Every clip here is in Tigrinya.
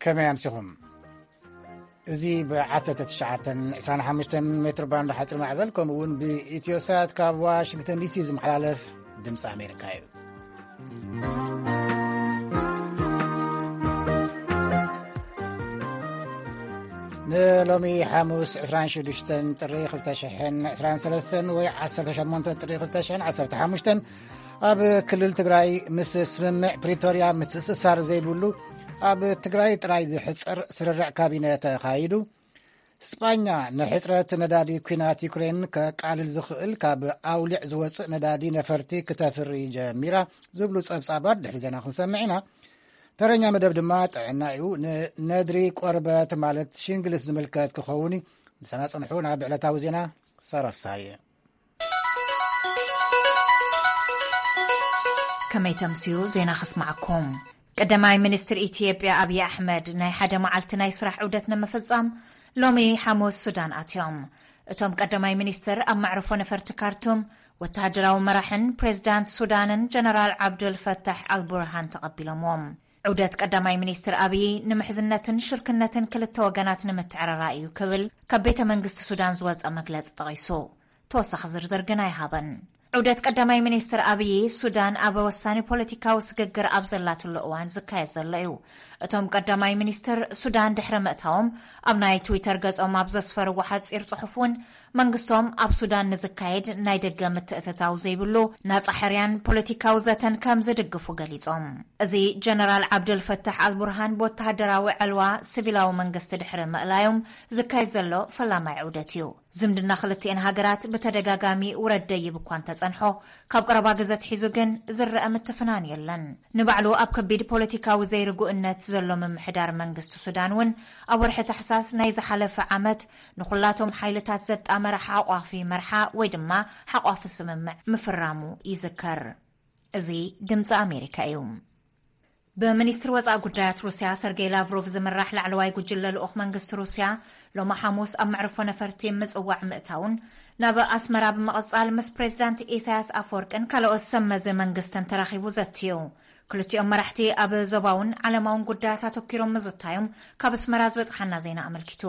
ከመይ ኣምሲኹም? እዚ ብ1925 ሜትር ባንድ ሓፂር ማዕበል ከምኡ እውን ብኢትዮሳት ካብ ዋሽንግተን ዲሲ ዝመሓላለፍ ድምፂ ኣሜሪካ እዩ። ንሎሚ ሓሙስ 26 ጥሪ 2023 ወይ 18 ጥሪ 2015 ኣብ ክልል ትግራይ ምስ ስምምዕ ፕሪቶርያ ምትእስሳር ዘይብሉ ኣብ ትግራይ ጥራይ ዝሕፀር ስርርዕ ካቢነ ተኻይዱ። ስጳኛ ንሕፅረት ነዳዲ ኲናት ዩክሬን ከቃልል ዝኽእል ካብ ኣውሊዕ ዝወፅእ ነዳዲ ነፈርቲ ክተፍሪ ጀሚራ ዝብሉ ፀብፃባት ድሕሪ ዜና ክንሰምዕ ኢና። ተረኛ መደብ ድማ ጥዕና እዩ። ንነድሪ ቆርበት ማለት ሽንግልስ ዝምልከት ክኸውን እዩ። ምሳና ፅንሑ። ናብ ዕለታዊ ዜና ሳራሳየ። ከመይ ተምስዩ ዜና ከስማዓኩም። ቀዳማይ ሚኒስትር ኢትዮጵያ ኣብይ ኣሕመድ ናይ ሓደ መዓልቲ ናይ ስራሕ ዑደት ንምፍጻም ሎሚ ሓሙስ ሱዳን ኣትዮም። እቶም ቀዳማይ ሚኒስትር ኣብ መዕርፎ ነፈርቲ ካርቱም ወተሃደራዊ መራሕን ፕሬዚዳንት ሱዳንን ጀነራል ዓብዱል ፈታሕ ኣልቡርሃን ተቐቢሎምዎም። ዑደት ቀዳማይ ሚኒስትር ኣብይ ንምሕዝነትን ሽርክነትን ክልተ ወገናት ንምትዕርራይ እዩ ክብል ካብ ቤተ መንግስቲ ሱዳን ዝወጸ መግለጺ ጠቒሱ። ተወሳኺ ዝርዝር ግን ኣይሃበን። ዑደት ቀዳማይ ሚኒስትር ኣብይ ሱዳን ኣብ ወሳኒ ፖለቲካዊ ስግግር ኣብ ዘላትሉ እዋን ዝካየድ ዘሎ እዩ። እቶም ቀዳማይ ሚኒስትር ሱዳን ድሕሪ ምእታዎም ኣብ ናይ ትዊተር ገጾም ኣብ ዘስፈርዎ ሓጺር ጽሑፍ እውን መንግስቶም ኣብ ሱዳን ንዝካየድ ናይ ደገ ምትእትታው ዘይብሉ ናጻ ሕርያን ፖለቲካዊ ዘተን ከም ዝድግፉ ገሊጾም። እዚ ጀነራል ዓብዱል ፈታሕ ኣልቡርሃን ብወተሃደራዊ ዕልዋ ሲቪላዊ መንግስቲ ድሕሪ ምእላዮም ዝካየድ ዘሎ ፈላማይ ዑደት እዩ። ዝምድና ክልቲኤን ሃገራት ብተደጋጋሚ ውረድ ደይብ እኳ እንተጸንሖ፣ ካብ ቀረባ ግዘ ኣትሒዙ ግን ዝረአ ምትፍናን የለን። ንባዕሉ ኣብ ከቢድ ፖለቲካዊ ዘይርጉእነት ዘሎ ምምሕዳር መንግስቲ ሱዳን እውን ኣብ ወርሒ ታሕሳስ ናይ ዝሓለፈ ዓመት ንኹላቶም ሓይልታት ዘጣመረ ሓቋፊ መርሓ ወይ ድማ ሓቋፊ ስምምዕ ምፍራሙ ይዝከር። እዚ ድምፂ ኣሜሪካ እዩ። ብሚኒስትሪ ወፃኢ ጉዳያት ሩስያ ሰርጌይ ላቭሮቭ ዝምራሕ ላዕለዋይ ጉጅለ ልኡኽ መንግስቲ ሩስያ ሎሚ ሓሙስ ኣብ መዕርፎ ነፈርቲ ምጽዋዕ ምእታውን ናብ ኣስመራ ብምቕጻል ምስ ፕሬዚዳንት ኢሳያስ ኣፈወርቅን ካልኦት ሰብ መዚ መንግስትን ተራኺቡ ዘትዩ። ክልቲኦም መራሕቲ ኣብ ዞባውን ዓለማውን ጉዳያት ኣተኲሮም ምዝታዮም ካብ ኣስመራ ዝበጽሓና ዜና ኣመልኪቱ።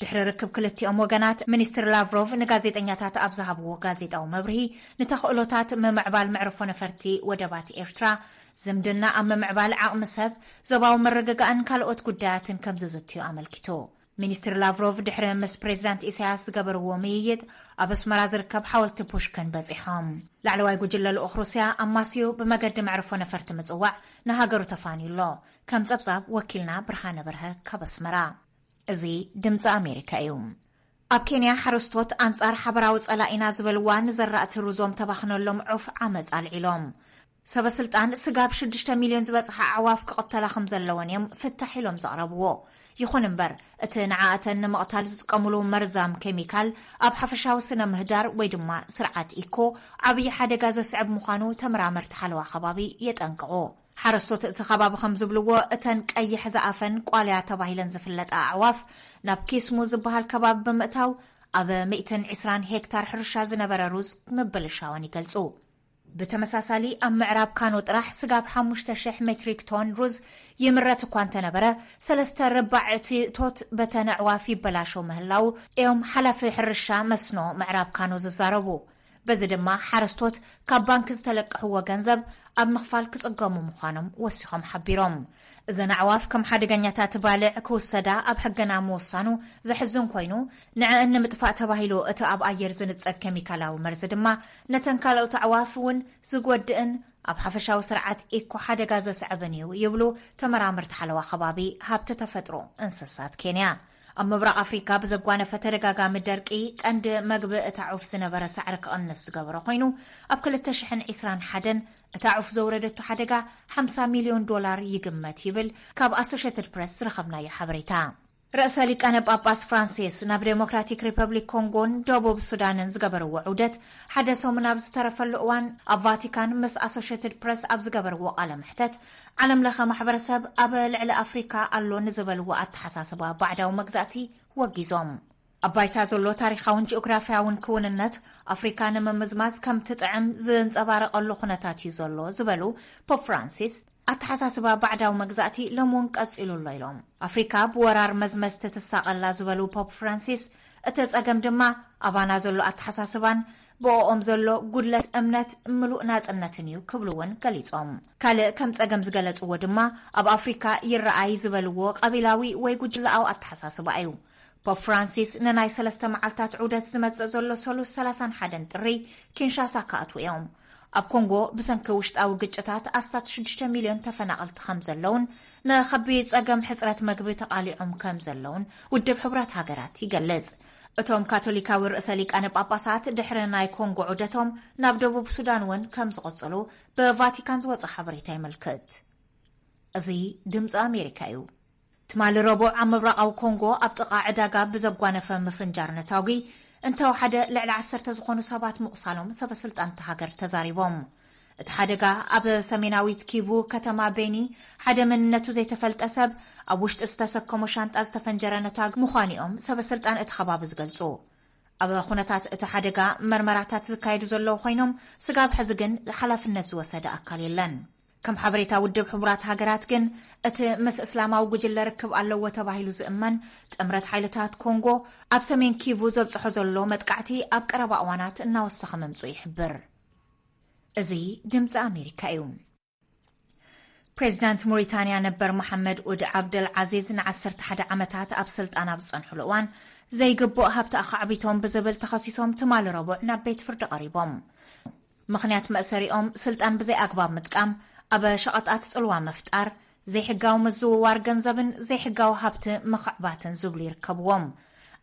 ድሕሪ ርክብ ክልቲኦም ወገናት፣ ሚኒስትር ላቭሮቭ ንጋዜጠኛታት ኣብ ዝሃብዎ ጋዜጣዊ መብርሂ፣ ንተኽእሎታት ምምዕባል መዕርፎ ነፈርቲ ወደባት ኤርትራ፣ ዝምድና ኣብ ምምዕባል ዓቕሚ ሰብ፣ ዞባዊ ምርግጋእን ካልኦት ጉዳያትን ከም ዝዝትዩ ኣመልኪቱ። ሚኒስትር ላቭሮቭ ድሕሪ ምስ ፕሬዚዳንት ኢሳያስ ዝገበርዎ ምይይጥ፣ ኣብ ኣስመራ ዝርከብ ሓወልቲ ፑሽክን በጺሖም። ላዕለዋይ ጉጅለ ልኡኽ ሩስያ ኣማስዩ ብመገዲ መዕርፎ ነፈርቲ ምጽዋዕ ንሃገሩ ተፋንዩ ኣሎ። ከም ጸብጻብ ወኪልና ብርሃነ በርሀ ካብ ኣስመራ። እዚ ድምፂ ኣሜሪካ እዩ። ኣብ ኬንያ ሓረስቶት ኣንጻር ሓበራዊ ጸላኢና ዝበልዋ ንዘራእቲ ሩዞም ተባኽነሎም ዑፍ ዓመፅ ኣልዒሎም። ሰበ ስልጣን ስጋብ ሽዱሽተ ሚልዮን ዝበጽሓ ኣዕዋፍ ክቕተላ ከም ዘለወን እዮም ፍታሕ ኢሎም ዘቕረብዎ። ይኹን እምበር፣ እቲ ንዓኣተን ንምቕታል ዝጥቀምሉ መርዛም ኬሚካል ኣብ ሓፈሻዊ ስነ ምህዳር ወይ ድማ ስርዓት ኢኮ ዓብዪ ሓደጋ ዘስዕብ ምዃኑ ተመራመርቲ ሓለዋ ከባቢ የጠንቅቑ። ሓረስቶት እቲ ከባቢ ከም ዝብልዎ፣ እተን ቀይሕ ዝኣፈን ቋልያ ተባሂለን ዝፍለጣ ኣዕዋፍ ናብ ኪስሙ ዝበሃል ከባቢ ብምእታው ኣብ ሚእትን ዕስራን ሄክታር ሕርሻ ዝነበረ ሩዝ ምብልሻወን ይገልጹ። ብተመሳሳሊ ኣብ ምዕራብ ካኖ ጥራሕ ስጋብ ሓሙሽተ ሽሕ ሜትሪክ ቶን ሩዝ ይምረት እኳ እንተነበረ፣ ሰለስተ ርባዕ እቲ እቶት በተን ኣዕዋፍ ይበላሾ ምህላው እዮም ሓላፊ ሕርሻ መስኖ ምዕራብ ካኖ ዝዛረቡ። በዚ ድማ ሓረስቶት ካብ ባንክ ዝተለቅሕዎ ገንዘብ ኣብ ምኽፋል ክጽገሙ ምዃኖም ወሲኾም ሓቢሮም። እዘን ኣዕዋፍ ከም ሓደገኛታት ባልዕ ክውሰዳ ኣብ ሕግና ምውሳኑ ዘሕዝን ኮይኑ፣ ንዕአን ንምጥፋእ ተባሂሉ እቲ ኣብ ኣየር ዝንጸግ ኬሚካላዊ መርዚ ድማ ነተን ካልኦት ኣዕዋፍ እውን ዝጎድእን ኣብ ሓፈሻዊ ስርዓት ኢኮ ሓደጋ ዘስዕብን እዩ ይብሉ ተመራመርቲ ሓለዋ ከባቢ ሃብቲ ተፈጥሮ እንስሳት ኬንያ። ኣብ ምብራቕ ኣፍሪካ ብዘጓነፈ ተደጋጋሚ ደርቂ ቀንዲ መግቢ እታ ዑፍ ዝነበረ ሳዕሪ ክቕንስ ዝገበረ ኮይኑ፣ ኣብ ክልተ ሽሕን ዕስራን ሓደን እታ ዑፍ ዘውረደቶ ሓደጋ ሓምሳ ሚልዮን ዶላር ይግመት ይብል ካብ ኣሶሼትድ ፕረስ ዝረኸብናዮ ሓበሬታ። ርእሰ ሊቃነ ጳጳስ ፍራንሲስ ናብ ዴሞክራቲክ ሪፐብሊክ ኮንጎን ደቡብ ሱዳንን ዝገበርዎ ዑደት ሓደ ሰሙን ኣብ ዝተረፈሉ እዋን፣ ኣብ ቫቲካን ምስ ኣሶሼትድ ፕረስ ኣብ ዝገበርዎ ቃለ መሕተት፣ ዓለም ለኸ ማሕበረሰብ ኣብ ልዕሊ ኣፍሪካ ኣሎ ንዝበልዎ ኣተሓሳስባ ባዕዳዊ መግዛእቲ ወጊዞም። ኣብ ባይታ ዘሎ ታሪኻውን ጂኦግራፊያውን ክውንነት ኣፍሪካ ንምምዝማዝ ከም ትጥዕም ዝንጸባረቐሉ ኩነታት እዩ ዘሎ ዝበሉ ፖፕ ፍራንሲስ፣ ኣተሓሳስባ ባዕዳዊ መግዛእቲ ሎም እውን ቀጺሉ ኣሎ ኢሎም። ኣፍሪካ ብወራር መዝመዝ ትትሳቐላ ዝበሉ ፖፕ ፍራንሲስ፣ እቲ ጸገም ድማ ኣባና ዘሎ ኣተሓሳስባን ብኦኦም ዘሎ ጉድለት እምነት ምሉእ ናጽነትን እዩ ክብሉ እውን ገሊጾም። ካልእ ከም ጸገም ዝገለጽዎ ድማ ኣብ ኣፍሪካ ይረኣይ ዝበልዎ ቀቢላዊ ወይ ጉጅለኣዊ ኣተሓሳስባ እዩ። ፖፕ ፍራንሲስ ንናይ ሰለስተ መዓልታት ዑደት ዝመጽእ ዘሎ ሰሉስ ሰላሳን ሓደን ጥሪ ኪንሻሳ ክኣትዉ እዮም። ኣብ ኮንጎ ብሰንኪ ውሽጣዊ ግጭታት ኣስታት ሽዱሽተ ሚልዮን ተፈናቐልቲ ከም ዘለውን ንኸቢድ ጸገም ሕጽረት መግቢ ተቓሊዖም ከም ዘለውን ውድብ ሕቡራት ሃገራት ይገልጽ። እቶም ካቶሊካዊ ርእሰ ሊቃነ ጳጳሳት ድሕሪ ናይ ኮንጎ ዑደቶም ናብ ደቡብ ሱዳን እውን ከም ዝቕጽሉ ብቫቲካን ዝወጸ ሓበሬታ የመልክት። እዚ ድምፂ ኣሜሪካ እዩ። ትማሊ ረቡዕ ኣብ ምብራቓዊ ኮንጎ ኣብ ጥቓ ዕዳጋ ብዘጓነፈ ምፍንጃር ነታጒ እንተወሓደ ልዕሊ ዓሰርተ ዝኾኑ ሰባት ምቑሳሎም ሰበ ስልጣን እታ ሃገር ተዛሪቦም። እቲ ሓደጋ ኣብ ሰሜናዊት ኪቩ ከተማ ቤኒ ሓደ መንነቱ ዘይተፈልጠ ሰብ ኣብ ውሽጢ ዝተሰከሞ ሻንጣ ዝተፈንጀረ ነታጒ ምዃኑ እዮም ሰበ ስልጣን እቲ ከባቢ ዝገልጹ። ኣብ ኩነታት እቲ ሓደጋ መርመራታት ዝካየዱ ዘለዉ ኮይኖም፣ ስጋብ ሕዚ ግን ሓላፍነት ዝወሰደ ኣካል የለን። ከም ሓበሬታ ውድብ ሕቡራት ሃገራት ግን፣ እቲ ምስ እስላማዊ ጉጅለ ርክብ ኣለዎ ተባሂሉ ዝእመን ጥምረት ሓይልታት ኮንጎ ኣብ ሰሜን ኪቩ ዘብጽሖ ዘሎ መጥቃዕቲ ኣብ ቀረባ እዋናት እናወሰኸ ምምጽኡ ይሕብር። እዚ ድምፂ ኣሜሪካ እዩ። ፕሬዚዳንት ሞሪታንያ ነበር መሓመድ ኡድ ዓብደል ዓዚዝ ንዓሰርተ ሓደ ዓመታት ኣብ ስልጣን ኣብ ዝጸንሕሉ እዋን ዘይግቡእ ሃብቲ ኣኻዕቢቶም ብዝብል ተኸሲሶም ትማሊ ረቡዕ ናብ ቤት ፍርዲ ቀሪቦም። ምኽንያት መእሰሪኦም ስልጣን ብዘይ ኣግባብ ምጥቃም፣ ኣብ ሸቐጣት ጽልዋ ምፍጣር፣ ዘይሕጋዊ ምዝውዋር ገንዘብን ዘይሕጋዊ ሃብቲ ምኽዕባትን ዝብሉ ይርከብዎም።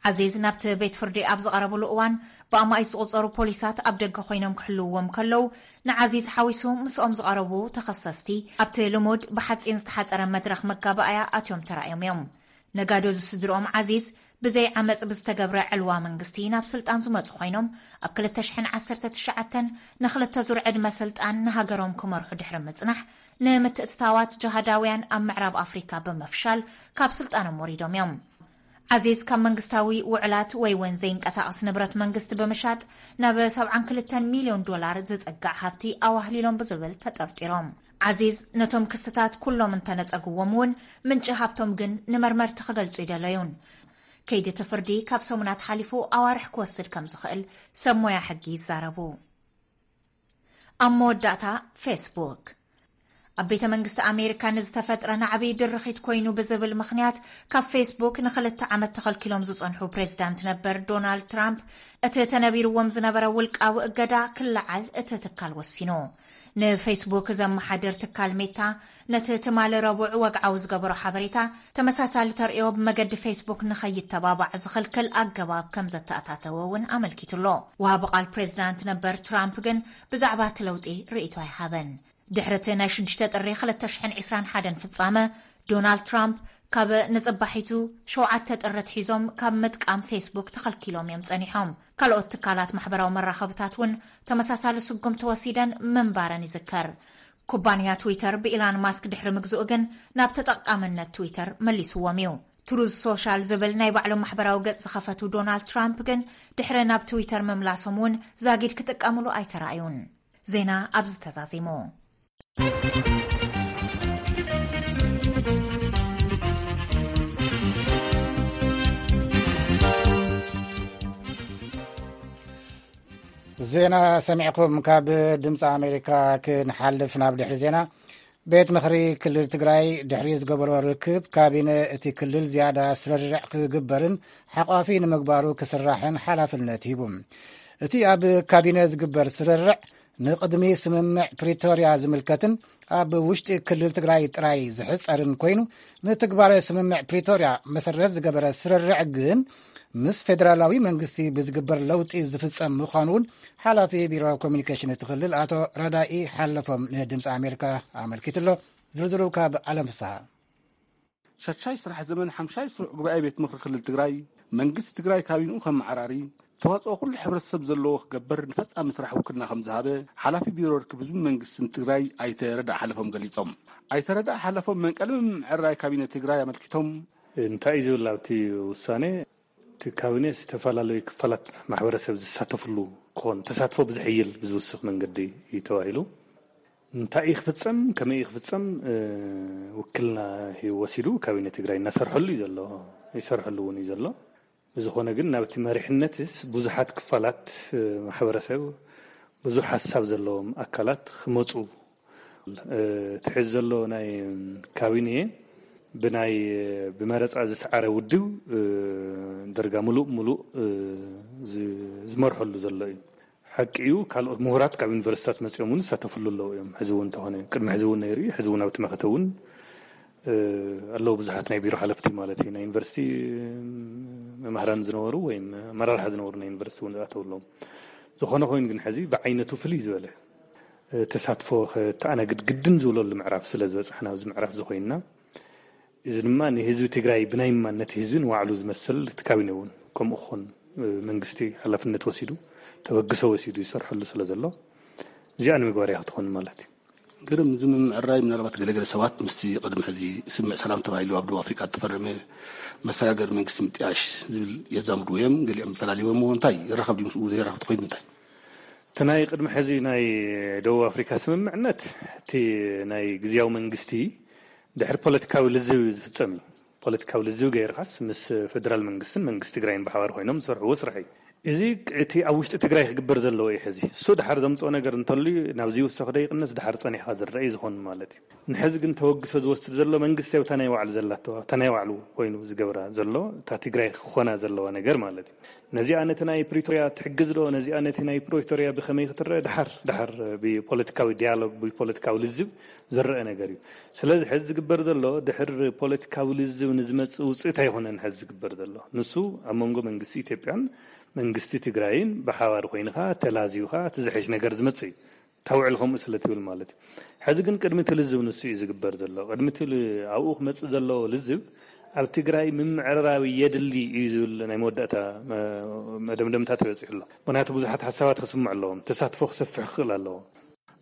ዓዚዝ ናብቲ ቤት ፍርዲ ኣብ ዝቐረብሉ እዋን ብኣማኢት ዝቑጸሩ ፖሊሳት ኣብ ደገ ኮይኖም ክሕልውዎም ከለዉ፣ ንዓዚዝ ሓዊሱ ምስኦም ዝቐረቡ ተኸሰስቲ ኣብቲ ልሙድ ብሓጺን ዝተሓጸረ መድረኽ መጋባእያ ኣትዮም ተራእዮም እዮም። ነጋዶ ዝስድርኦም ዓዚዝ ብዘይ ዓመጽ ብዝተገብረ ዕልዋ መንግስቲ ናብ ስልጣን ዝመጹ ኮይኖም፣ ኣብ ክልተ ሽሕን ዓሰርተ ትሽዓተን ንኽልተ ዙር ዕድመ ስልጣን ንሃገሮም ክመርሑ ድሕሪ ምጽናሕ፣ ንምትእትታዋት ጅሃዳውያን ኣብ ምዕራብ ኣፍሪካ ብምፍሻል ካብ ስልጣኖም ወሪዶም እዮም። ዓዚዝ ካብ መንግስታዊ ውዕላት ወይ እውን ዘይንቀሳቐስ ንብረት መንግስቲ ብምሻጥ ናብ ሰብዓን ክልተን ሚልዮን ዶላር ዝጽጋዕ ሃብቲ ኣዋህሊሎም ብዝብል ተጠርጢሮም። ዓዚዝ ነቶም ክስታት ኩሎም እንተነጸግዎም እውን፣ ምንጪ ሃብቶም ግን ንመርመርቲ ክገልጹ ይደለዩን። ከይዲ እቲ ፍርዲ ካብ ሰሙናት ሓሊፉ ኣዋርሕ ክወስድ ከም ዝኽእል ሰብ ሞያ ሕጊ ይዛረቡ። ኣብ መወዳእታ፣ ፌስቡክ ኣብ ቤተ መንግስቲ ኣሜሪካ ንዝተፈጥረ ናዕቢ ድርኺት ኮይኑ ብዝብል ምኽንያት ካብ ፌስቡክ ንኽልተ ዓመት ተኸልኪሎም ዝጸንሑ ፕሬዚዳንት ነበር ዶናልድ ትራምፕ፣ እቲ ተነቢርዎም ዝነበረ ውልቃዊ እገዳ ክለዓል እቲ ትካል ወሲኑ። ንፌስቡክ ዘመሓድር ትካል ሜታ ነቲ ትማሊ ረቡዕ ወግዓዊ ዝገበሮ ሓበሬታ፣ ተመሳሳሊ ተርእዮ ብመገዲ ፌስቡክ ንኸይተባባዕ ዝኽልክል ኣገባብ ከም ዘተኣታተወ እውን ኣመልኪቱ ኣሎ። ወሃቢ ቃል ፕሬዚዳንት ነበር ትራምፕ ግን ብዛዕባ እቲ ለውጢ ርእይቶ ኣይሃበን። ድሕሪ እቲ ናይ ሽዱሽተ ጥሪ ክልተ ሽሕን ዕስራን ሓደን ፍጻመ፣ ዶናልድ ትራምፕ ካብ ንጽባሒቱ ሸውዓተ ጥሪ ኣትሒዞም ካብ ምጥቃም ፌስቡክ ተኸልኪሎም እዮም ጸኒሖም። ካልኦት ትካላት ማሕበራዊ መራኸብታት እውን ተመሳሳሊ ስጉምቲ ወሲደን ምንባረን ይዝከር። ኩባንያ ትዊተር ብኢላን ማስክ ድሕሪ ምግዝኡ ግን ናብ ተጠቃምነት ትዊተር መሊስዎም እዩ። ትሩዝ ሶሻል ዝብል ናይ ባዕሎም ማሕበራዊ ገጽ ዝኸፈቱ ዶናልድ ትራምፕ ግን ድሕሪ ናብ ትዊተር ምምላሶም እውን ዛጊድ ክጥቀምሉ ኣይተራእዩን። ዜና ኣብዚ ተዛዚሙ። ዜና ሰሚዕኩም ካብ ድምፂ ኣሜሪካ ክንሓልፍ ናብ ድሕሪ ዜና። ቤት ምኽሪ ክልል ትግራይ ድሕሪ ዝገበሮ ርክብ ካቢነ እቲ ክልል ዝያዳ ስርርዕ ክግበርን ሓቋፊ ንምግባሩ ክስራሕን ሓላፍነት ሂቡ። እቲ ኣብ ካቢነ ዝግበር ስርርዕ ንቕድሚ ስምምዕ ፕሪቶርያ ዝምልከትን ኣብ ውሽጢ ክልል ትግራይ ጥራይ ዝሕጸርን ኮይኑ፣ ንትግባረ ስምምዕ ፕሪቶርያ መሰረት ዝገበረ ስርርዕ ግን ምስ ፌደራላዊ መንግስቲ ብዝግበር ለውጢ ዝፍጸም ምዃኑ እውን ሓላፊ ቢሮ ኮሚኒኬሽን እቲ ክልል ኣቶ ረዳኢ ሓለፎም ንድምፂ ኣሜሪካ ኣመልኪቱ ኣሎ። ዝርዝሩ ካብ ዓለም ፍስሃ። ሻድሻይ ስራሕ ዘመን ሓምሻይ ስሩዕ ጉባኤ ቤት ምኽሪ ክልል ትግራይ፣ መንግስቲ ትግራይ ካቢንኡ ከመዓራሪ፣ ተዋፅኦ ኩሉ ሕብረተሰብ ዘለዎ ክገብር ንፈፃሚ ስራሕ ውክልና ከም ዝሃበ ሓላፊ ቢሮ ርክብ ህዝብን መንግስትን ትግራይ ኣይተ ረዳእ ሓለፎም ገሊፆም። ኣይተ ረዳእ ሓለፎም መንቀሊ ምምዕራይ ካቢነ ትግራይ ኣመልኪቶም፣ እንታይ እዩ ዝብል ኣብቲ ውሳኔ? እቲ ካቢኔ ዝተፈላለዩ ክፋላት ማሕበረሰብ ዝሳተፍሉ ክኾን፣ ተሳትፎ ብዘሕይል ብዝውስኽ መንገዲ እዩ ተባሂሉ። እንታይ እዩ ክፍጸም፣ ከመይ እዩ ክፍጸም፣ እ፣ ውክልና ሂቡ ወሲዱ ካቢነ ትግራይ እናሰርሐሉ እዩ ዘሎ፣ ይሰርሐሉ እውን እዩ ዘሎ። ብዝኾነ ግን ናብቲ መሪሕነትስ ብዙሓት ክፋላት፣ እ፣ ማሕበረሰብ፣ ብዙሕ ሓሳብ ዘለዎም ኣካላት ክመጹ፣ እ፣ እቲ ሕዚ ዘሎ ናይ ካቢኔ ብናይ ብመረጻ ዝሰዓረ ውድብ፣ እ፣ ደርጋ ምሉእ ምሉእ፣ እ፣ ዝ-፣ ዝመርሐሉ ዘሎ እዩ። ሓቂ እዩ፣ ካልኦት ምሁራት ካብ ዩኒቨርሲታት መጺኦም እውን ዝሳተፍሉ ኣለዉ እዮም። ሕዚ እውን እንተኾነ፣ ቅድሚ ሕዚ እውን ነይሩ እዩ፣ ሕዚ እውን ኣብቲ መኸተ እውን፣ እ፣ ኣለዉ ብዙሓት ናይ ቢሮ ሓለፍቲ ማለት እዩ። ናይ ዩኒቨርሲቲ መምህራን ዝነበሩ ወይም ኣመራርሓ ዝነበሩ ናይ ዩኒቨርሲቲ እውን ዝኣተዉ ኣለዉ። ዝኾነ ኮይኑ ግን ሕዚ ብዓይነቱ ፍልይ ዝበለ፣ እ፣ ተሳትፎ ከተኣናግድ ግድን ዝብለሉ ምዕራፍ ስለ ዝበጻሕና ኣብዚ ምዕራፍ እዚ ኮይንና፣ እዚ ድማ ንህዝቢ ትግራይ ብናይ ማንነት ህዝቢ ንባዕሉ ዝመስል እቲ ካቢነ እውን ከምኡ ክኾን፣ እ፣ መንግስቲ ሓላፍነት ወሲዱ፣ ተበግሶ ወሲዱ ይሰርሐሉ ስለ ዘሎ፣ እዚኣ ንምግባር እያ ክትኾን ማለት እዩ። ግርም፣ እዚ ምምዕራይ ምናልባት ገለገለ ሰባት ምስቲ ቅድሚ ሕዚ ስምምዕ ሰላም ተባሂሉ ኣብ ደቡብ ኣፍሪቃ ዝተፈረመ መሰጋገሪ መንግስቲ ምጥያሽ ዝብል የዛምድዎ እዮም። ገሊኦም ይፈላልይዎ እሞ እንታይ ይራኸብ ድዩ ምስኡ? ዘይራኸብ ተኾይኑ እንታይ? እቲ ናይ ቅድሚ ሕዚ ናይ ደቡብ ኣፍሪካ ስምምዕነት፣ እቲ ናይ ግዝያዊ መንግስቲ ድሕሪ ፖለቲካዊ ልዝብ እዩ ዝፍጸም እዩ። ፖለቲካዊ ልዝብ ገይርካስ ምስ ፌደራል መንግስትን መንግስቲ ትግራይን ብሓባር ኮይኖም ዝሰርሕዎ ስራሕ እዩ። እዚ እቲ ኣብ ውሽጢ ትግራይ ክግበር ዘለዎ እዩ። ሕዚ እሱ ድሓር ዘምፅኦ ነገር እንተልዩ ናብዚ ይውሰኽ ዶ ይቕንስ ድሓር ጸኒሕካ ዝረአ እዩ ዝኾን ማለት እዩ። ንሕዚ ግን ተወግሶ ዝወስድ ዘሎ መንግስቲ ኣብታ ናይ ባዕሉ ዘላቶ፣ ኣብታ ናይ ባዕሉ ኮይኑ ዝገብራ ዘሎ፣ እታ ትግራይ ክኾና ዘለዋ ነገር ማለት እዩ። ነዚኣ ነቲ ናይ ፕሪቶርያ ትሕግዝ ዶ? ነዚኣ ነቲ ናይ ፕሪቶርያ ብኸመይ ክትረአ? ድሓር፣ ድሓር ብፖለቲካዊ ዲያሎግ፣ ብፖለቲካዊ ልዝብ ዝረአ ነገር እዩ። ስለዚ ሕዚ ዝግበር ዘሎ ድሕር ፖለቲካዊ ልዝብ ንዝመጽእ ውጽኢት ኣይኮነን። ሕዚ ዝግበር ዘሎ ንሱ ኣብ መንጎ መንግስቲ ኢትዮጵያን መንግስቲ ትግራይን ብሓባር ኮይንኻ ተላዚብካ እቲ ዝሐሽ ነገር ዝመጽእ እዩ። ታውዕል ከምኡ ስለ ትብል ማለት እዩ። ሕዚ ግን ቅድሚ እቲ ልዝብ ንሱ እዩ ዝግበር ዘሎ። ቅድሚ እቲ ል-፣ ኣብኡ ክመጽእ ዘለዎ ልዝብ ኣብ ትግራይ ምምዕርራብ የድሊ እዩ ዝብል ናይ መወዳእታ መ-፣ መደምደምታ ተበጺሑ ኣሎ። ምኽንያቱ ብዙሓት ሓሳባት ክስምዑ ኣለዎም። ተሳትፎ ክሰፍሕ ክኽእል ኣለዎ።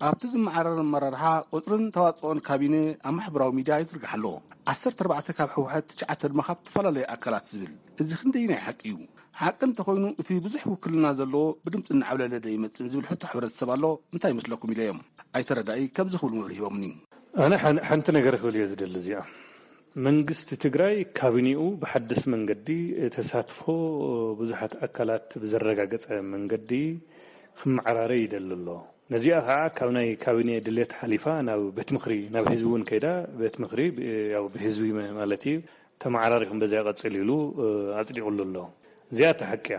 ኣብቲ ዝመዓረር ኣመራርሓ ቁጽርን ተዋጽኦን ካቢነ ኣብ ማሕበራዊ ሚድያ ይዝርጋሕ ኣሎ። ዓሰርተ ኣርባዕተ ካብ ህወሓት፣ ትሽዓተ ድማ ካብ ዝተፈላለዩ ኣካላት ዝብል፣ እዚ ክንደይናይ ሓቂ እዩ? ሓቂ እንተኾይኑ እቲ ብዙሕ ውክልና ዘለዎ ብድምፂ እናዓብለለ ዶ ይመጽእ ዝብል ሕቶ ሕብረተሰብ ኣሎ። እንታይ ይመስለኩም ኢለዮም። ኣይተረዳኢ ከምዚ ክብሉ መብርሂ ሂቦምኒ። ኣነ ሓን-፣ ሓንቲ ነገር ክብል እየ ዝደሊ እዚኣ። መንግስቲ ትግራይ ካቢኔኡ ብሓድስ መንገዲ ተሳትፎ ብዙሓት ኣካላት ብዘረጋገጸ መንገዲ ክመዓራረ ይደሊ ኣሎ። ነዚኣ ከዓ ካብ ናይ ካቢኔ ድሌት ሓሊፋ ናብ ቤት ምኽሪ፣ ናብ ህዝቢ እውን ከይዳ ቤት ምኽሪ ብ-፣ ያው ብህዝቢ መ-፣ ማለት እዩ ተመዓራሪኹም በዚያ ቀጽል ኢሉ፣ እ፣ ኣጽዲቑሉ ኣሎ። እዚኣ እታ ሓቂ እያ።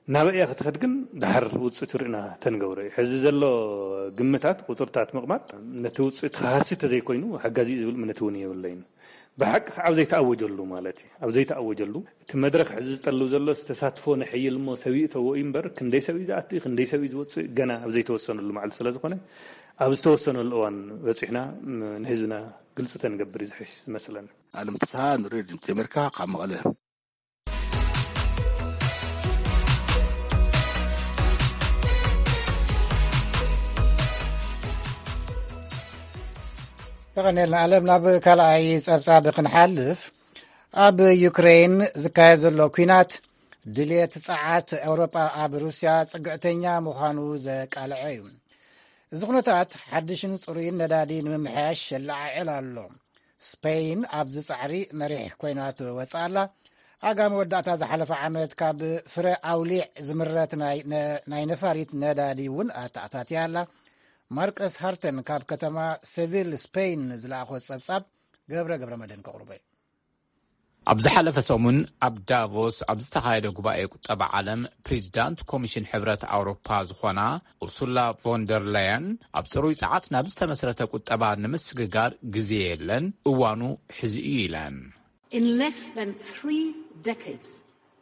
ናበይ እያ ክትኸድ ግን ድሓር ውፅኢቱ ርኢና ተንገብሮ እዩ። ሕዚ ዘሎ ግምታት፣ ቁፅርታት ምቕማጥ ነቲ ውፅኢት ክሃሲ ተዘይኮይኑ ሓጋዚ እዩ ዝብል እምነት እውን የብለይን። ብሓቂ ከዓ ኣብ ዘይተኣወጀሉ ማለት እዩ። ኣብ ዘይተኣወጀሉ እቲ መድረኽ ሕዚ ዝጠልብ ዘሎ ተሳትፎ ነሐይል እሞ ሰብ ይእተዎ እዩ እምበር ክንደይ ሰብ እዩ ዝኣቱ፣ ክንደይ ሰብ እዩ ዝወፅእ ገና ኣብ ዘይተወሰነሉ መዓልቲ ስለ ዝኾነ ኣብ ዝተወሰነሉ እዋን በፂሕና ም-፣ ንህዝብና ግልፂ ተንገብር እዩ ዝሕሽ ዝመስለኒ። ኣለም ፍስሃ ንሬድዮ ድምፂ ኣሜሪካ ካብ መቐለ። የቐንየልና ኣለም። ናብ ካልኣይ ጸብጻብ ክንሓልፍ፣ ኣብ ዩክሬን ዝካየድ ዘሎ ኲናት ድልየት ጸዓት ኤውሮጳ ኣብ ሩስያ ጽግዕተኛ ምዃኑ ዘቃልዐ እዩ። እዚ ኩነታት ሓድሽን ጽሩይን ነዳዲ ንምምሕያሽ የለዓዕል ኣሎ። ስፔይን ኣብዚ ጻዕሪ መሪሕ ኮይና ትወጽእ ኣላ። ኣጋ መወዳእታ ዝሓለፈ ዓመት ካብ ፍረ ኣውሊዕ ዝምረት ናይ ነ-፣ ናይ ነፋሪት ነዳዲ እውን ኣተኣታትያ ኣላ። ማርከስ ሃርተን ካብ ከተማ ሴቪል ስፔይን ዝለኣኾ ጸብጻብ ገብረ ገብረ መድህን ከቕርቦ እዩ። ኣብ ዝሓለፈ ሰሙን ኣብ ዳቮስ ኣብ ዝተኻየደ ጉባኤ ቁጠባ ዓለም ፕሬዚዳንት ኮሚሽን ሕብረት ኣውሮፓ ዝኾና ኡርሱላ ቮንደር ላየን ኣብ ጽሩይ ጸዓት ናብ ዝተመስረተ ቁጠባ ንምስግጋር ግዜ የለን፣ እዋኑ ሕዚ እዩ ኢለን። In less than three decades,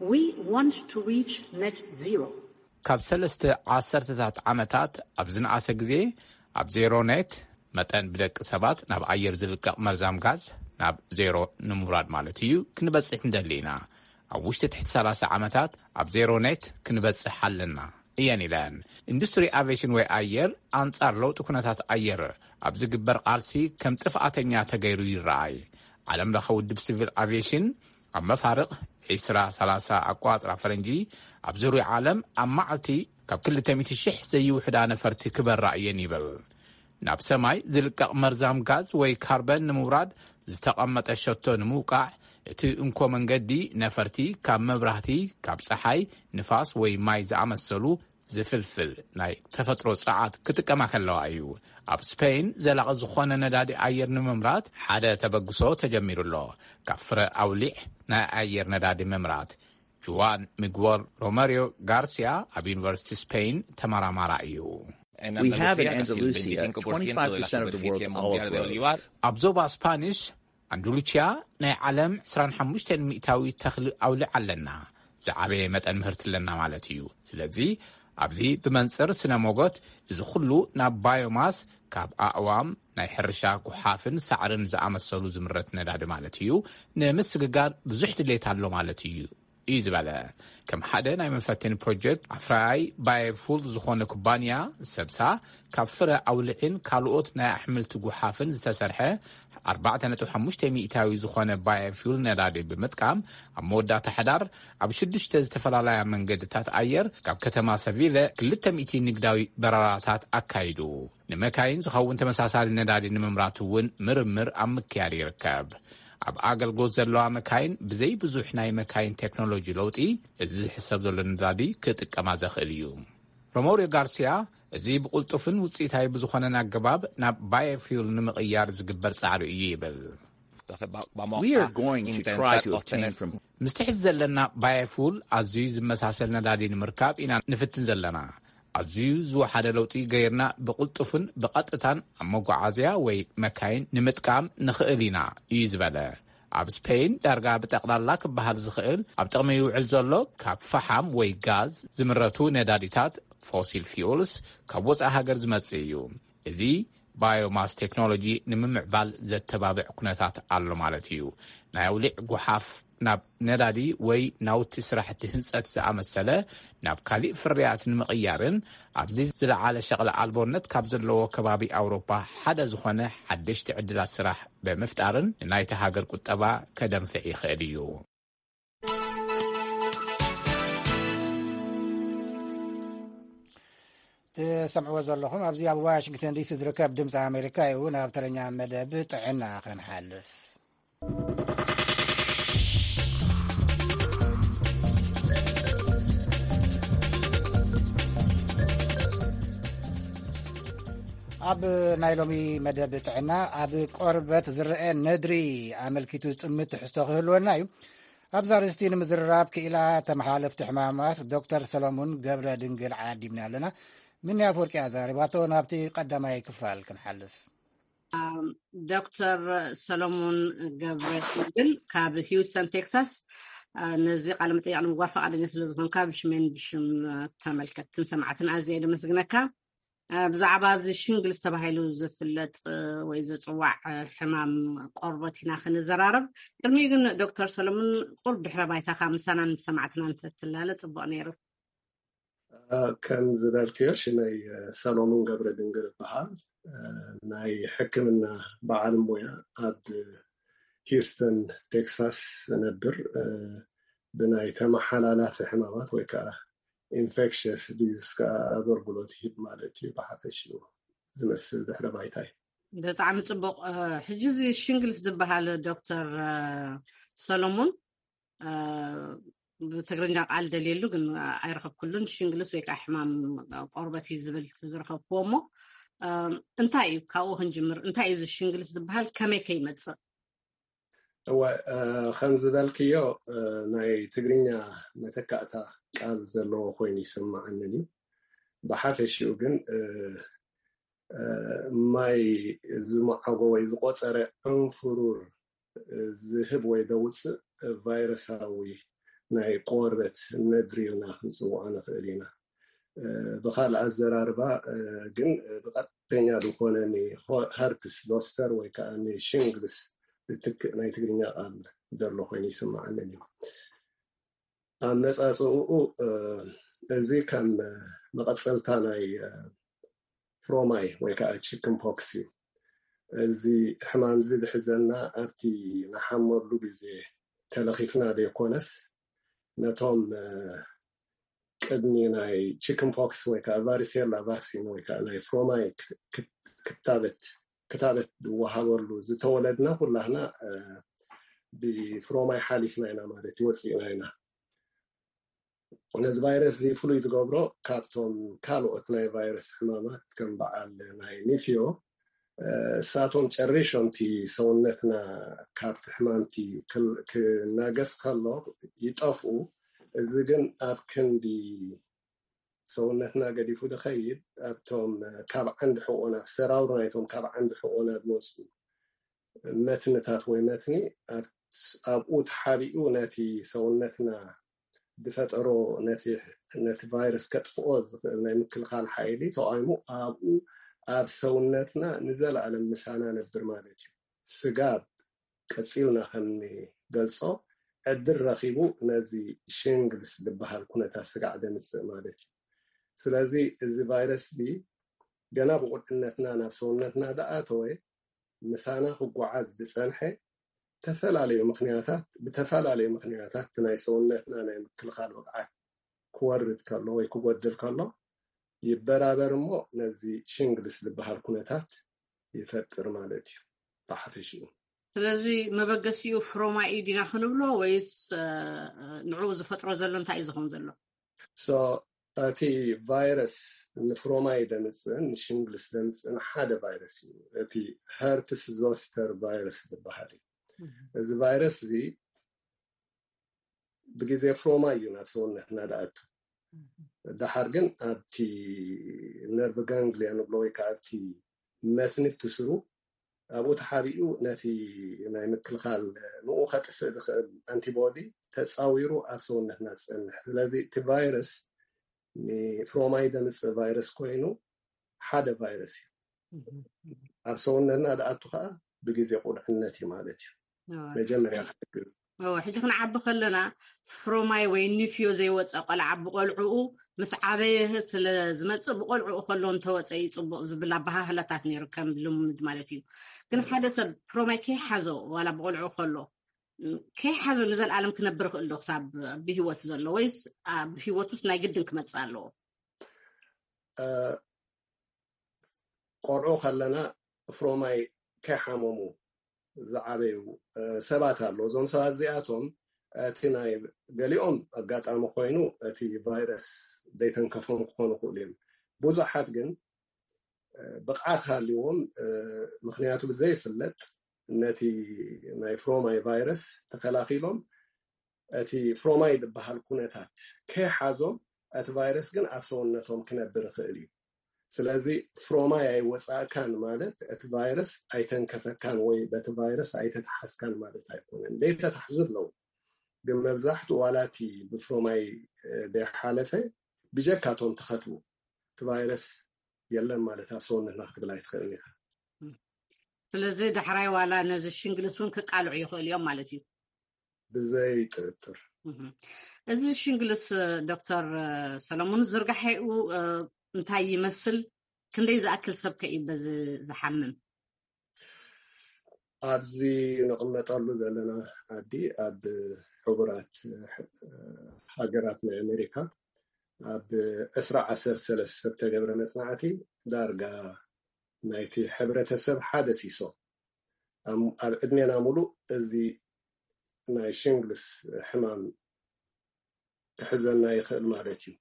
we want to reach net zero. ካብ ሰለስተ ዓሰርተታት ዓመታት ኣብ ዝነኣሰ ግዜ ኣብ ዜሮ ኔት መጠን ብደቂ ሰባት ናብ ኣየር ዝልቀቕ መርዛም ጋዝ ናብ ዜሮ ንምውራድ ማለት እዩ ክንበጽሕ ንደሊ ኢና። ኣብ ውሽጢ ትሕቲ ሰላሳ ዓመታት ኣብ ዜሮ ኔት ክንበጽሕ ኣለና እየን ኢለን። ኢንዱስትሪ ኣቪዬሽን ወይ ኣየር ኣንጻር ለውጢ ኩነታት ኣየር ኣብ ዝግበር ቃልሲ ከም ጥፍኣተኛ ተገይሩ ይረኣይ። ዓለም ለኸ ውድብ ሲቪል ኣቪዬሽን ኣብ መፋርቕ ዕስራ ሰላሳ ኣቋጽራ ፈረንጂ ኣብ ዙርያ ዓለም ኣብ መዓልቲ ካብ ክልተ ሚእቲ ሽሕ ዘይውሕዳ ነፈርቲ ክበራ እየን ይብል። ናብ ሰማይ ዝልቀቕ መርዛም ጋዝ ወይ ካርበን ንምውራድ ዝተቐመጠ ሸቶ ንምውቃዕ፣ እቲ እንኮ መንገዲ ነፈርቲ ካብ መብራህቲ፣ ካብ ጸሓይ፣ ንፋስ ወይ ማይ ዝኣመሰሉ ዝፍልፍል ናይ ተፈጥሮ ጸዓት ክጥቀማ ከለዋ እዩ። ኣብ ስፔን ዘላቒ ዝኾነ ነዳዲ ኣየር ንምምራት ሓደ ተበግሶ ተጀሚሩ ኣሎ። ካብ ፍረ ኣውሊዕ ናይ ኣየር ነዳዲ ምምራት። ጁዋን ሚግወል ሮመሪዮ ጋርሲያ ኣብ ዩኒቨርሲቲ ስፔን ተመራማራ እዩ። We have in Andalusia twenty-five percent of the world's olive groves. ኣብ ዞባ ስፓኒሽ ኣንዱሉቺያ ናይ ዓለም ዕስራን ሓሙሽተን ሚእታዊ ተኽሊ ኣውሊዕ ኣለና። ዝዓበየ መጠን ምህርቲ ኣለና ማለት እዩ። ስለዚ ኣብዚ ብመንጽር ስነ ሞጎት፣ እዚ ኩሉ ናብ ባዮማስ፣ ካብ ኣእዋም፣ ናይ ሕርሻ ጉሓፍን ሳዕርን ዝኣመሰሉ ዝምረት ነዳዲ ማለት እዩ፣ ንምስግጋር ብዙሕ ድሌት ኣሎ ማለት እዩ እዩ ዝበለ። ከም ሓደ ናይ መፈተኒ ፕሮጀክት ኣፍራያይ ባዮፉል ዝኾነ ኩባንያ፣ ሰብሳ ካብ ፍረ ኣውልዕን ካልኦት ናይ ኣሕምልቲ ጉሓፍን ዝተሰርሐ ኣርባዕተ ነጥቢ ሓሙሽተ ሚእታዊ ዝኾነ ባዮፊል ነዳዲ ብምጥቃም፣ ኣብ መወዳእታ ሕዳር ኣብ ሽዱሽተ ዝተፈላለያ መንገድታት ኣየር ካብ ከተማ ሰቪለ ክልተ ሚእቲ ንግዳዊ በረራታት ኣካይዱ። ንመካይን ዝኸውን ተመሳሳሊ ነዳዲ ንምምራት እውን ምርምር ኣብ ምክያድ ይርከብ። ኣብ ኣገልግሎት ዘለዋ መካይን ብዘይ ብዙሕ ናይ መካይን ቴክኖሎጂ ለውጢ፣ እዚ ዝሕሰብ ዘሎ ነዳዲ ክጥቀማ ዘኽእል እዩ። ሮሞሪዮ ጋርሲያ፣ እዚ ብቕልጡፍን ውፅኢታዊ ብዝኾነን ኣገባብ ናብ ባዮፊውል ንምቕያር ዝግበር ጻዕሪ እዩ ይብል። We are going to try to obtain from ምስቲ ሕዚ ዘለና ባዮፉል ኣዝዩ ዝመሳሰል ነዳዲ ንምርካብ ኢና ንፍትን ዘለና። ኣዝዩ ዝወሓደ ለውጢ ገይርና ብቕልጡፍን ብቐጥታን ኣብ መጓዓዝያ ወይ መካይን ንምጥቃም ንኽእል ኢና እዩ ዝበለ። ኣብ ስፔን ዳርጋ ብጠቕላላ ክበሃል ዝኽእል ኣብ ጥቕሚ ይውዕል ዘሎ ካብ ፈሓም ወይ ጋዝ ዝምረቱ ነዳዲታት፣ ፎሲል ፊውልስ፣ ካብ ወፃኢ ሃገር ዝመጽእ እዩ። እዚ ባዮማስ ቴክኖሎጂ ንምምዕባል ዘተባብዕ ኩነታት ኣሎ ማለት እዩ። ናይ ኣውሊዕ ጉሓፍ ናብ ነዳዲ ወይ ናውቲ ስራሕቲ ህንፀት ዝኣመሰለ ናብ ካሊእ ፍርያት ንምቕያርን ኣብዚ ዝለዓለ ሸቕሊ ኣልቦነት ካብ ዘለዎ ከባቢ ኣውሮፓ ሓደ ዝኾነ ሓደሽቲ ዕድላት ስራሕ ብምፍጣርን ንናይቲ ሃገር ቁጠባ ከደንፍዕ ይኽእል እዩ። ትሰምዕዎ ዘለኹም ኣብዚ ኣብ ዋሽንግተን ዲሲ ዝርከብ ድምፂ ኣሜሪካ እዩ። ናብ ተረኛ መደብ ጥዕና ክንሓልፍ። ኣብ ናይ ሎሚ መደብ ጥዕና፣ ኣብ ቆርበት ዝረአ ነድሪ ኣመልኪቱ ዝጥምት ትሕዝቶ ክህልወና እዩ። ኣብዛ ኣርእስቲ ንምዝርራብ ክኢላ ተመሓላለፍቲ ሕማማት ዶክተር ሰሎሙን ገብረ ድንግል ዓዲምና ኣለና። ምንያ ኣፍወርቂ ኣዛሪባቶ። ናብቲ ቀዳማይ ክፋል ክንሓልፍ። ዶክተር ሰሎሞን ገብረ ድንግል ካብ ሂውስተን ቴክሳስ፣ ነዚ ቃለ መጠይቕ ንምግባር ፈቓደኛ ስለ ዝኾንካ ብሽሜን ብሽም ተመልከትትን ሰማዕትን ኣዝየ እየ ደመስግነካ። ብዛዕባ እዚ ሽንግልስ ተባሂሉ ዝፍለጥ ወይ ዝፅዋዕ ሕማም ቆርበት ኢና ክንዘራረብ። ቅድሚኡ ግን ዶክተር ሰሎሞን ቁሩብ ድሕረ ባይታኻ ምሳናን ምስ ሰማዕትና እንተትላለ ፅቡቕ ነይሩ። ከም ዝበልክዮ ሽመይ ሰሎሙን ገብረ ድንግል እበሃል። ናይ ሕክምና በዓል ሞያ ኣብ ሂውስተን ቴክሳስ እነብር። ብናይ ተመሓላላፊ ሕማማት ወይ ከዓ ኢንፌክሽስ ዲዚስ ከዓ ኣገልግሎት ይህብ ማለት እዩ። ብሓፈሽኡ ዝመስል ድሕረ ባይታይ። ብጣዕሚ ፅቡቕ። ሕጂ እዚ ሽንግልስ ዝበሃል ዶክተር ሰሎሙን፣ ብትግርኛ ቃል ደልየሉ ግን ኣይረኸብኩሉን። ሽንግልስ ወይ ከዓ ሕማም ቆርበት እዩ ዝብል ዝረኸብኩዎ። እሞ እንታይ እዩ፣ ካብኡ ክንጅምር፣ እንታይ እዩ እዚ ሽንግልስ ዝበሃል፣ ከመይ ከይመፅእ? እወ፣ ከም ዝበልክዮ ናይ ትግርኛ መተካእታ ቃል ዘለዎ ኮይኑ ይስማዓንን እዩ። ብሓፈሽኡ ግን ማይ ዝመዓጎ ወይ ዝቆፀረ ዕንፍሩር ዝህብ ወይ ዘውፅእ ቫይረሳዊ ናይ ቆርበት ነድሪ ኢልና ክንፅውዖ ንኽእል ኢና። ብካልእ ኣዘራርባ ግን ብቐጥተኛ ዝኾነ ንሀርፕስ ዞስተር ወይ ከዓ ንሽንግልስ ዝትክእ ናይ ትግርኛ ቃል ዘሎ ኮይኑ ይስማዓንን እዩ። ኣመፃፅእኡ እዚ ከም መቐፀልታ ናይ ፍሮማይ ወይ ከዓ ቺክን ፖክስ እዩ። እዚ ሕማም እዚ ዝሕዘና ኣብቲ ንሓመሉ ግዜ ተለኺፍና ዘይኮነስ ነቶም ቅድሚ ናይ ቺክን ፖክስ ወይ ከዓ ቫሪሴላ ቫክሲን ወይ ከዓ ናይ ፍሮማይ ክታበት ክታበት ዝወሃበሉ ዝተወለድና ኩላህና ብፍሮማይ ሓሊፍና ኢና ማለት እዩ፣ ወፂእና ኢና። ነዚ ቫይረስ እዚ ፍሉይ ዝገብሮ ካብቶም ካልኦት ናይ ቫይረስ ሕማማት ከም በዓል ናይ ኒፍዮ እሳቶም ጨሪሾም እቲ ሰውነትና ካብቲ ሕማምቲ ክናገፍ ከሎ ይጠፍኡ። እዚ ግን ኣብ ክንዲ ሰውነትና ገዲፉ ዝኸይድ ኣብቶም ካብ ዓንዲ ሕቆና ሰራውር ናይቶም ካብ ዓንዲ ሕቆና ዝወፁ መትንታት ወይ መትኒ ኣብኡ ተሓቢኡ ነቲ ሰውነትና ዝፈጠሮ ነቲ ቫይረስ ከጥፍኦ ዝኽእል ናይ ምክልኻል ሓይሊ ተቃይሙ ኣብኡ ኣብ ሰውነትና ንዘለኣለም ምሳና ነብር ማለት እዩ። ስጋብ ቀፂልና ከምንገልፆ ዕድል ረኺቡ ነዚ ሽንግልስ ዝበሃል ኩነታት ስጋዕ ደምፅእ ማለት እዩ። ስለዚ እዚ ቫይረስ እዚ ገና ብቁልዕነትና ናብ ሰውነትና ዝኣተወ ምሳና ክጓዓዝ ዝፀንሐ ተፈላለዩ ምክንያታት ብተፈላለዩ ምክንያታት ናይ ሰውነትና ናይ ምክልኻል ብቕዓት ክወርድ ከሎ ወይ ክጎድል ከሎ ይበራበር እሞ ነዚ ሽንግልስ ዝበሃል ኩነታት ይፈጥር ማለት እዩ ብሓፈሽኡ። ስለዚ መበገሲኡ ፍሮማይ እዩ ዲና ክንብሎ ወይስ ንዕኡ ዝፈጥሮ ዘሎ እንታይ እዩ ዝኸውን ዘሎ? እቲ ቫይረስ ንፍሮማይ ደምፅእን ንሽንግልስ ደምፅእን ሓደ ቫይረስ እዩ። እቲ ሀርፕስ ዞስተር ቫይረስ ዝበሃል እዩ። እዚ ቫይረስ እዚ ብግዜ ፍሮማይ እዩ ናብ ሰውነትና ዝኣቱ። ደሓር ግን ኣብቲ ነርቭ ጋንግሊያ ንብሎ ወይ ከዓ ኣብቲ መትኒ ትስሩ ኣብኡ ተሓቢኡ ነቲ ናይ ምክልኻል ንኡ ከጥፍእ ዝኽእል ኣንቲቦዲ ተፃዊሩ ኣብ ሰውነትና ዝፀንሕ። ስለዚ እቲ ቫይረስ ንፍሮማይ ደምፅእ ቫይረስ ኮይኑ ሓደ ቫይረስ እዩ። ኣብ ሰውነትና ዝኣቱ ከዓ ብግዜ ቁልዕነት እዩ ማለት እዩ። መጀመርያ ክትግር ሕጂ ክንዓቢ ከለና ፍሮማይ ወይ ኒፍዮ ዘይወፀ ቆልዓ ብቆልዕኡ ምስ ዓበየ ስለ ዝመፅእ ብቆልዕኡ ከሎ እንተወፀ እዩ ፅቡቅ ዝብል ኣባሃህላታት ነይሩ ከም ልሙድ ማለት እዩ። ግን ሓደ ሰብ ፍሮማይ ከይሓዞ ዋላ ብቆልዕኡ ከሎ ከይሓዞ ንዘለኣለም ክነብር ይኽእል ዶ ክሳብ ብህይወት ዘሎ ወይስ ኣብ ህይወት ውስጥ ናይ ግድን ክመፅእ ኣለዎ? ቆልዑ ከለና ፍሮማይ ከይሓመሙ ዝዓበዩ ሰባት ኣለዉ። እዞም ሰባት እዚኣቶም እቲ ናይ ገሊኦም ኣጋጣሚ ኮይኑ እቲ ቫይረስ ዘይተንከፎም ክኾኑ ይኽእሉ እዮም። ብዙሓት ግን ብቕዓት ሃልዎም ምክንያቱ ብዘይፍለጥ ነቲ ናይ ፍሮማይ ቫይረስ ተከላኪሎም እቲ ፍሮማይ ዝበሃል ኩነታት ከይሓዞም እቲ ቫይረስ ግን ኣብ ሰውነቶም ክነብር ይኽእል እዩ። ስለዚ ፍሮማይ ኣይወፃእካን ማለት እቲ ቫይረስ ኣይተንከፈካን ወይ በቲ ቫይረስ ኣይተተሓዝካን ማለት ኣይኮነን። ዘይተታሕዙ ኣለዉ፣ ግን መብዛሕትኡ ዋላ እቲ ብፍሮማይ ዘይሓለፈ ብጀካቶም ተኸትቡ እቲ ቫይረስ የለን ማለት ኣብ ሰውነትና ክትብል ኣይትኽእልን ኢኻ። ስለዚ ዳሕራይ ዋላ ነዚ ሽንግልስ እውን ክቃልዑ ይኽእሉ እዮም ማለት እዩ። ብዘይ ጥርጥር። እዚ ሽንግልስ ዶክተር ሰለሙን ዝርጋሐኡ እንታይ ይመስል? ክንደይ ዝኣክል ሰብ ከ እዩ በዚ ዝሓምም? ኣብዚ ንቕመጠሉ ዘለና ዓዲ ኣብ ሕቡራት ሃገራት ናይ ኣሜሪካ ኣብ ዕስራ ዓሰርተ ሰለስተ ዝተገብረ መፅናዕቲ ዳርጋ ናይቲ ሕብረተሰብ ሓደ ሲሶ ኣብ ዕድሜና ሙሉእ እዚ ናይ ሽንግልስ ሕማም ክሕዘና ይኽእል ማለት እዩ።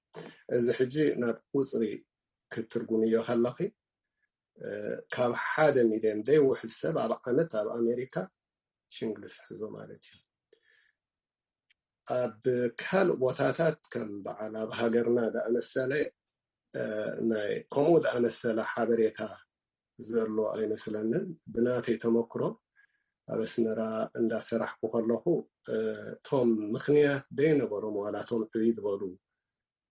እዚ ሕጂ ናብ ቁፅሪ ክትትርጉምዮ ከለኺ ካብ ሓደ ሚልዮን ዘይውሕድ ሰብ ኣብ ዓመት ኣብ ኣሜሪካ ሽንግልስ ሕዞ ማለት እዩ። ኣብ ካልእ ቦታታት ከም በዓል ኣብ ሃገርና ዝኣመሰለ ናይ ከምኡ ዝኣመሰለ ሓበሬታ ዘሎ ኣይመስለንን። ብናተይ ተመክሮ ኣብ ኣስመራ እንዳሰራሕኩ ከለኹ እቶም ምኽንያት ዘይነበሮም ዋላ እቶም ዕብይ ዝበሉ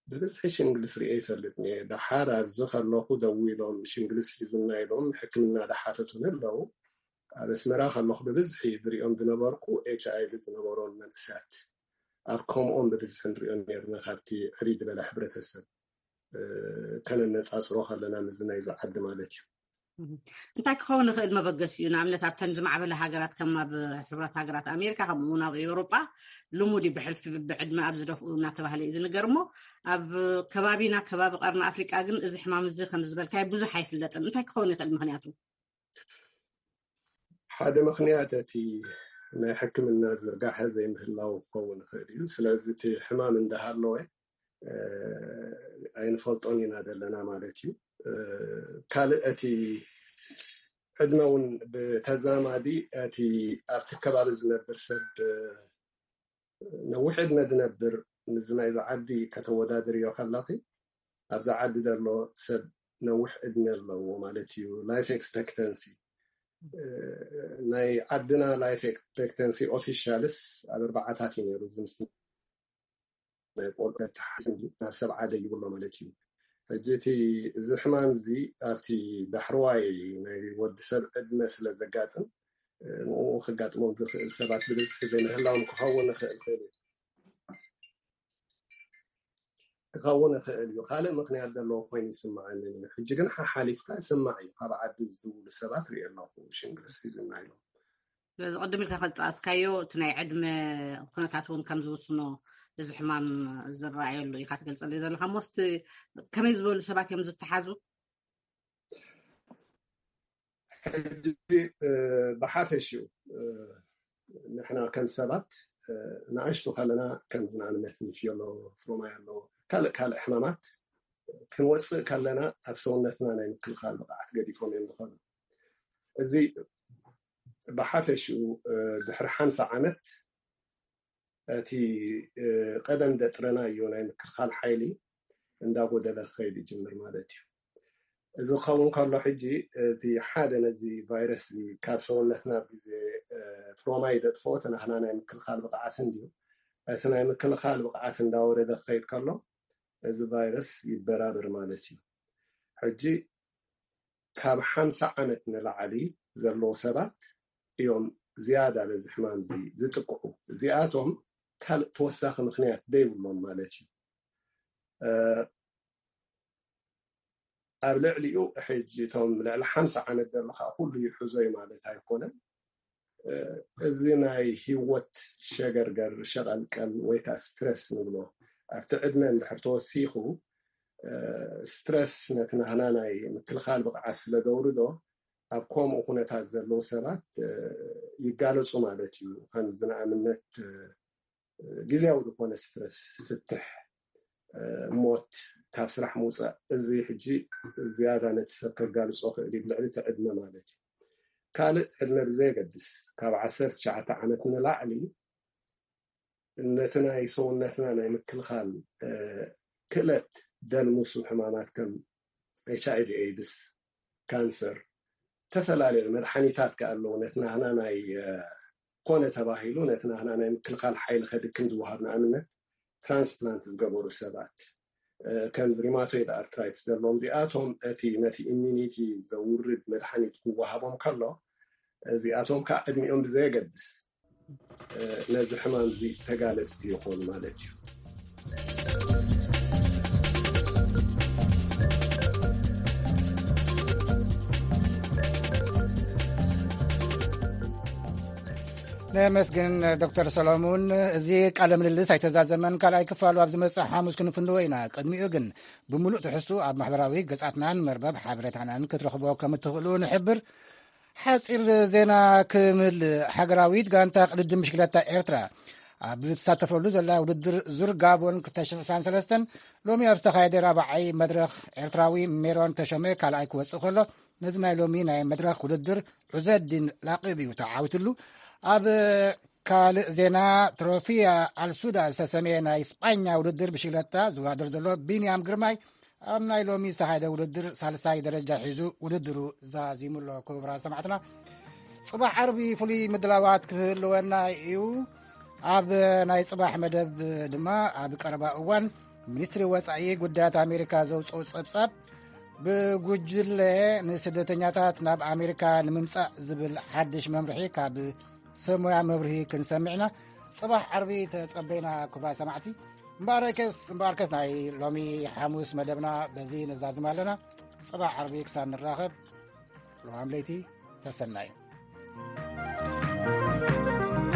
ብብዝሒ ሽንግልስ ርኤ ይፈልጥ እየ። ደሓር ኣብዚ ከለኹ ደዊሎም ሽንግልስ ሒዙና ኢሎም ሕክምና ዝሓተቱኒ ኣለዉ። ኣብ ኣስመራ ከለኹ ብብዝሒ ዝሪኦም ዝነበርኩ ኤች ኣይ ቪ ዝነበሮም መንእሰያት ኣብ ከምኦም ብብዝሒ ንሪኦ ነርና ካብቲ ዕብይ ዝበለ ሕብረተሰብ ከነነፃፅሮ ከለና ምስዚ ናይዚ ዓዲ ማለት እዩ። እንታይ ክኸውን ይኽእል መበገሲኡ? ንኣብነት ኣብተን ዝማዕበለ ሃገራት ከም ኣብ ሕቡራት ሃገራት ኣሜሪካ፣ ከምኡ እውን ኣብ ኤውሮጳ ልሙድ እዩ፣ ብሕልፊ ብዕድመ ኣብ ዝደፍኡ እናተባህለ እዩ ዝንገር። እሞ ኣብ ከባቢና፣ ከባቢ ቀርኒ ኣፍሪቃ ግን እዚ ሕማም እዚ ከም ዝበልካይ ብዙሕ ኣይፍለጥን። እንታይ ክኸውን ይኽእል ምኽንያቱ? ሓደ ምኽንያት እቲ ናይ ሕክምና ዝርጋሐ ዘይምህላው ክኸውን ይኽእል እዩ። ስለዚ እቲ ሕማም እንዳሃለወ ኣይንፈልጦን ኢና ዘለና ማለት እዩ። ካልእ እቲ ዕድመ እውን ብተዛማዲ እቲ ኣብቲ ከባቢ ዝነብር ሰብ ነዊሕ ዕድመ ዝነብር፣ ምስ ናይዚ ዓዲ ከተወዳድርዮ ከለኺ፣ ኣብዛ ዓዲ ዘሎ ሰብ ነዊሕ ዕድመ ኣለዎ ማለት እዩ። Life expectancy ናይ ዓድና life expectancy officials ኣብ ኣርባዓታት እዩ ነይሩ። እዚ ምስ ናይ ቆልዑ ተሓስብ ናብ ሰብ ዓደ ይብሎ ማለት እዩ። ሕጂ እቲ እዚ ሕማም እዚ ኣብቲ ዳሕረዋይ ናይ ወዲ ሰብ ዕድመ ስለ ዘጋጥም፣ ንኡ ክጋጥሞም ዝኽእል ሰባት ብብዝሒ ዘይምህላዎም ክኸውን ይኽእል ኮይኑ ክኸውን ይኽእል እዩ። ካልእ ምኽንያት ዘለዎ ኮይኑ ይስምዓኒ። ሕጂ ግን ሓሓሊፍካ ይስማዕ እዩ። ካብ ዓዲ ዝድውሉ ሰባት ርኢ ኣለኹ፣ ሽንግርስ ሒዙና ኢሎም። ስለዚ ቅድም ኢልካ ከዝጠቐስካዮ፣ እቲ ናይ ዕድመ ኩነታት እውን ከም ዝውስኖ፣ እዚ ሕማም ዝረኣየሉ ኢኻ ትገልጸሉ ዘለኻ። ሞስት ከመይ ዝበሉ ሰባት እዮም ዝተሓዙ? ሕጂ ብሓፈሽኡ ንሕና ከም ሰባት ንኣሽቱ ከለና፣ ከምዚ ንኣብነት ንፍዮሎ ፍሮማይ ኣሎ፣ ካልእ ካልእ ሕማማት ክንወፅእ ከለና ኣብ ሰውነትና ናይ ምክልኻል ብቕዓት ገዲፎም እዮም ዝኸዱ። እዚ ብሓፈሽኡ ድሕሪ ሓምሳ ዓመት እቲ ቀደም ዘጥረናዮ ናይ ምክልኻል ሓይሊ እንዳጎደለ ክኸይድ ይጅምር ማለት እዩ። እዚ ክኸውን ከሎ፣ ሕጂ እቲ ሓደ ነዚ ቫይረስ ካብ ሰውነትና ኣብ ግዜ ፍሮማይ ዘጥፍኦ እቲ ናህና ናይ ምክልኻል ብቕዓት እንድዩ። እቲ ናይ ምክልኻል ብቕዓት እንዳወረደ ክኸይድ ከሎ፣ እዚ ቫይረስ ይበራበር ማለት እዩ። ሕጂ ካብ ሓምሳ ዓመት ንላዕሊ ዘለዉ ሰባት እዮም ዝያዳ በዚ ሕማም እዚ ዝጥቅዑ። እዚኣቶም ካልእ ተወሳኺ ምኽንያት ዘይብሎም ማለት እዩ። ኣብ ልዕሊኡ ሕጂ እቶም ልዕሊ ሓምሳ ዓመት ዘሎ ከዓ ኩሉ ይሕዞ እዩ ማለት ኣይኮነን። እዚ ናይ ህይወት ሸገርገር፣ ሸቐልቀል ወይ ከዓ ስትረስ ንብሎ፣ ኣብቲ ዕድመ እንድሕር ተወሲኹ፣ ስትረስ ነቲ ናህና ናይ ምክልኻል ብቕዓት ስለ ዘውርዶ፣ ኣብ ከምኡ ኩነታት ዘለዉ ሰባት ይጋለፁ ማለት እዩ። ከምዚ ንኣብነት ግዜያዊ ዝኾነ ስትረስ፣ ፍትሕ፣ ሞት፣ ካብ ስራሕ ምውፃእ፣ እዚ ሕጂ ዝያዳ ነቲ ሰብ ከጋልፆ ክእል እዩ፣ ብልዕሊ እቲ ዕድመ ማለት እዩ። ካልእ ዕድመ ብዘየገድስ፣ ካብ ዓሰርተ ትሽዓተ ዓመት ንላዕሊ ነቲ ናይ ሰውነትና ናይ ምክልኻል ክእለት ደልምሱ ሕማማት ከም ኤች ኣይ ቪ ኤድስ፣ ካንሰር፣ ዝተፈላለዩ መድሓኒታት ከ ኣለዉ። ነቲ ናህና ናይ ኮነ ተባሂሉ ነቲ ናህና ናይ ምክልኻል ሓይሊ ከድክም ዝወሃብ፣ ንኣብነት ትራንስፕላንት ዝገበሩ ሰባት፣ ከምዚ ሪማቶይድ ኣርትራይትስ ዘለዎም፣ እዚኣቶም እቲ ነቲ ኢሚኒቲ ዘውርድ መድሓኒት ክወሃቦም ከሎ፣ እዚኣቶም ከዓ ዕድሚኦም ብዘየገድስ ነዚ ሕማም እዚ ተጋለፅቲ ይኾኑ ማለት እዩ። ነመስግን ዶክተር ሰሎሙን። እዚ ቃለ ምልልስ ኣይተዛዘመን፣ ካልኣይ ክፋሉ ኣብ ዝመፅእ ሓሙስ ክንፍንዎ ኢና። ቅድሚኡ ግን ብምሉእ ትሕዝቱ ኣብ ማሕበራዊ ገጻትናን መርበብ ሓበሬታናን ክትረኽቦ ከም እትኽእሉ ንሕብር። ሓጺር ዜና ክምልእ፣ ሃገራዊት ጋንታ ቅድድም ብሽክለታ ኤርትራ ኣብ ትሳተፈሉ ዘላ ውድድር ዙር ጋቦን ክልተ ሽሕን ዕስራን ሰለስተን ሎሚ ኣብ ዝተኻየደ ራብዓይ መድረኽ ኤርትራዊ ሜሮን ተሾመ ካልኣይ ክወጽእ ከሎ፣ ነዚ ናይ ሎሚ ናይ መድረኽ ውድድር ዑዘዲን ላቂብ እዩ ተዓዊትሉ። ኣብ ካልእ ዜና፣ ትሮፊያ ኣልሱዳ ዝተሰምየ ናይ ስጳኛ ውድድር ብሽክለታ ዝወዳደር ዘሎ ቢንያም ግርማይ ኣብ ናይ ሎሚ ዝተኻየደ ውድድር ሳልሳይ ደረጃ ሒዙ ውድድሩ ዛዚሙ ኣሎ። ክቡራት ሰማዕትና፣ ጽባሕ ዓርቢ ፍሉይ ምድላዋት ክህልወና እዩ። ኣብ ናይ ጽባሕ መደብ ድማ ኣብ ቀረባ እዋን ሚኒስትሪ ወጻኢ ጉዳያት ኣሜሪካ ዘውጽኦ ጸብጻብ ብጉጅለ ንስደተኛታት ናብ ኣሜሪካ ንምምጻእ ዝብል ሓድሽ መምርሒ ካብ ሰብ ሞያ መብርሂ ክንሰምዕ ኢና። ጽባሕ ዓርቢ ተጸበይና ክቡራት ሰማዕቲ። እምበኣርከስ እምበኣርከስ ናይ ሎሚ ሓሙስ መደብና በዚ ነዛዝም ኣለና። ጽባሕ ዓርቢ ክሳብ ንራኸብ ፕሮግራም ለይቲ። ሰሰናዩ።